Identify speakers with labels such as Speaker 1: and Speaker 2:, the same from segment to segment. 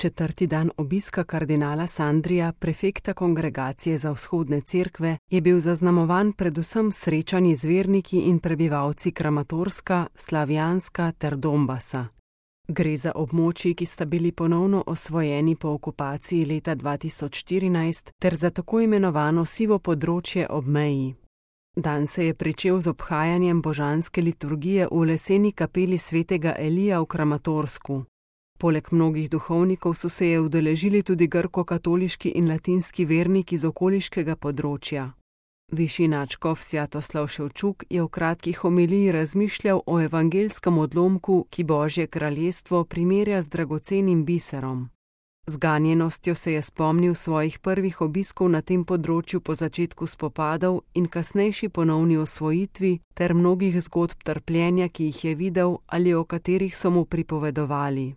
Speaker 1: 4. dan obiska kardinala Sandrija, prefekta Kongregacije za vzhodne cerkve, je bil zaznamovan predvsem srečanji z verniki in prebivalci Kramatorska, Slavjanska ter Donbasa. Gre za območji, ki sta bili ponovno osvojeni po okupaciji leta 2014 ter za tako imenovano sivo področje ob meji. Dan se je pričel z obhajanjem božanske liturgije v leseni kapeli svetega Elija v Kramatorsku. Poleg mnogih duhovnikov so se je udeležili tudi grko-katoliški in latinski verniki z okoliškega področja. Višji nadškof Svjatoslav Ševčuk je v kratki homiliji razmišljal o evangelskem odlomku, ki Božje kraljestvo primerja z dragocenim biserom. Z ganjenostjo se je spomnil svojih prvih obiskov na tem področju po začetku spopadov in kasnejši ponovni osvojitvi ter mnogih zgodb trpljenja, ki jih je videl ali o katerih so mu pripovedovali.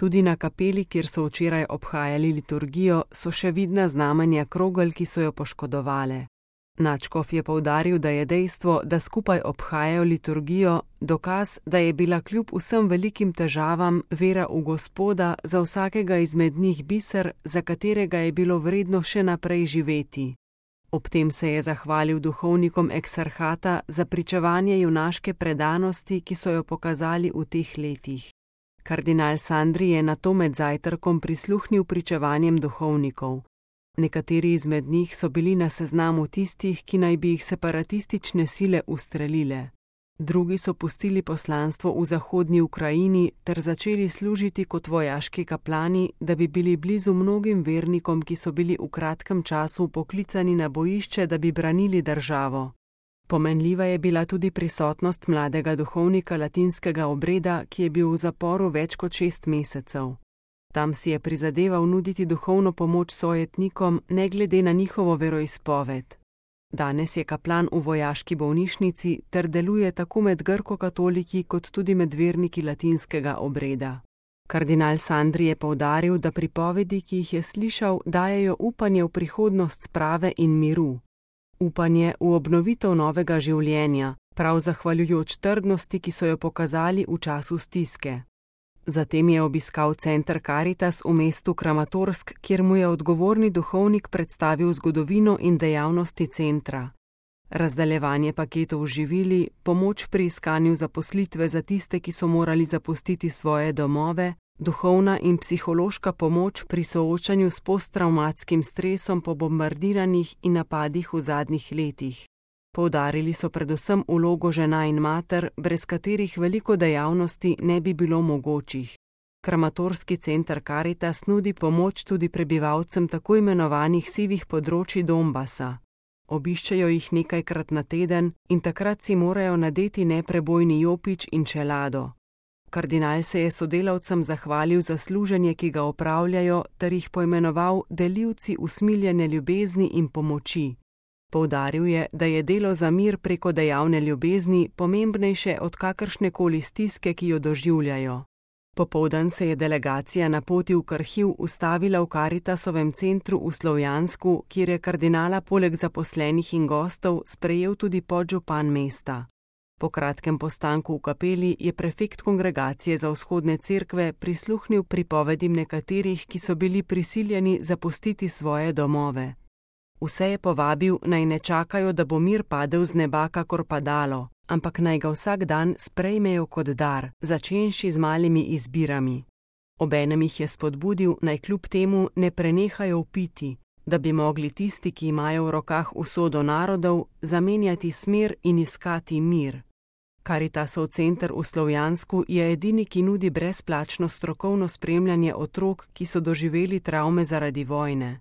Speaker 1: Tudi na kapeli, kjer so včeraj obhajali liturgijo, so še vidna znamenja krogel, ki so jo poškodovale. Nadškof je poudaril, da je dejstvo, da skupaj obhajajo liturgijo, dokaz, da je bila kljub vsem velikim težavam vera v Gospoda za vsakega izmed njih biser, za katerega je bilo vredno še naprej živeti. Ob tem se je zahvalil duhovnikom eksarhata za pričevanje junaške predanosti, ki so jo pokazali v teh letih. Kardinal Sandri je nato med zajtrkom prisluhnil pričevanjem duhovnikov. Nekateri izmed njih so bili na seznamu tistih, ki naj bi jih separatistične sile ustrelile. Drugi so pustili poslanstvo v zahodnji Ukrajini ter začeli služiti kot vojaški kaplani, da bi bili blizu mnogim vernikom, ki so bili v kratkem času poklicani na bojišče, da bi branili državo. Pomenljiva je bila tudi prisotnost mladega duhovnika latinskega obreda, ki je bil v zaporu več kot 6 mesecev. Tam si je prizadeval nuditi duhovno pomoč sojetnikom, ne glede na njihovo veroizpoved. Danes je kaplan v vojaški bolnišnici ter deluje tako med grko-katoliki kot tudi med verniki latinskega obreda. Kardinal Sandri je poudaril, da pripovedi, ki jih je slišal, dajejo upanje v prihodnost sprave in miru. Upanje v obnovitev novega življenja, prav zahvaljujoč trdnosti, ki so jo pokazali v času stiske. Zatem je obiskal center Caritas v mestu Kramatorsk, kjer mu je odgovorni duhovnik predstavil zgodovino in dejavnosti centra. Razdaljevanje paketov z živili, pomoč pri iskanju zaposlitve za tiste, ki so morali zapustiti svoje domove, duhovna in psihološka pomoč pri soočanju s posttravmatskim stresom po bombardiranih in napadih v zadnjih letih. Poudarili so predvsem vlogo žena in mater, brez katerih veliko dejavnosti ne bi bilo mogočih. Kramatorski center Caritas nudi pomoč tudi prebivalcem tako imenovanih sivih področij Donbasa. Obiščejo jih nekajkrat na teden in takrat si morajo nadeti neprebojni jopič in čelado. Kardinal se je sodelavcem zahvalil za služenje, ki ga opravljajo, ter jih poimenoval delivci usmiljene ljubezni in pomoči. Poudaril je, da je delo za mir preko dejavne ljubezni pomembnejše od kakršnekoli stiske, ki jo doživljajo. Popoldan se je delegacija na poti v Krhiv ustavila v Caritasovem centru v Slovjansku, kjer je kardinala poleg zaposlenih in gostov sprejel tudi podžupan mesta. Po kratkem postanku v kapeli je prefekt Kongregacije za vzhodne cerkve prisluhnil pripovedim nekaterih, ki so bili prisiljeni zapustiti svoje domove. Vse je povabil, naj ne čakajo, da bo mir padel z neba kakor padalo, ampak naj ga vsak dan sprejmejo kot dar, začenši z malimi izbirami. Obenem jih je spodbudil, naj kljub temu ne prenehajo piti, da bi mogli tisti, ki imajo v rokah usodo narodov, zamenjati smer in iskati mir. Caritasov center v Slovjansku je edini, ki nudi brezplačno strokovno spremljanje otrok, ki so doživeli travme zaradi vojne.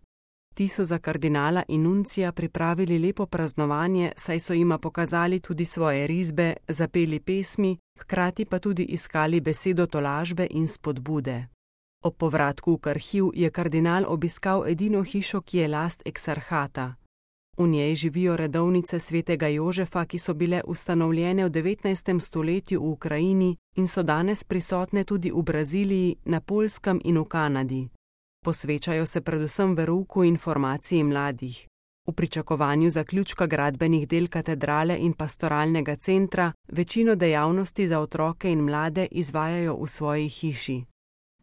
Speaker 1: Ti so za kardinala in nuncija pripravili lepo praznovanje, saj so jima pokazali tudi svoje risbe, zapeli pesmi, hkrati pa tudi iskali besedo tolažbe in spodbude. Ob povratku v Krhiv je kardinal obiskal edino hišo, ki je last eksarhata. V njej živijo redovnice svetega Jožefa, ki so bile ustanovljene v 19. stoletju v Ukrajini in so danes prisotne tudi v Braziliji, na Poljskem in v Kanadi. Posvečajo se predvsem verouku in formaciji mladih. V pričakovanju zaključka gradbenih del katedrale in pastoralnega centra večino dejavnosti za otroke in mlade izvajajo v svoji hiši.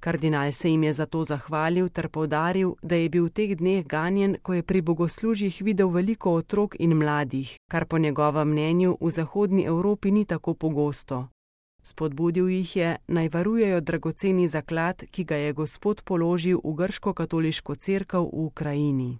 Speaker 1: Kardinal se jim je zato zahvalil ter poudaril, da je bil v teh dneh ganjen, ko je pri bogoslužjih videl veliko otrok in mladih, kar po njegovem mnenju v zahodni Evropi ni tako pogosto. Spodbudil jih je, naj varujejo dragoceni zaklad, ki ga je Gospod položil v grško-katoliško cerkev v Ukrajini.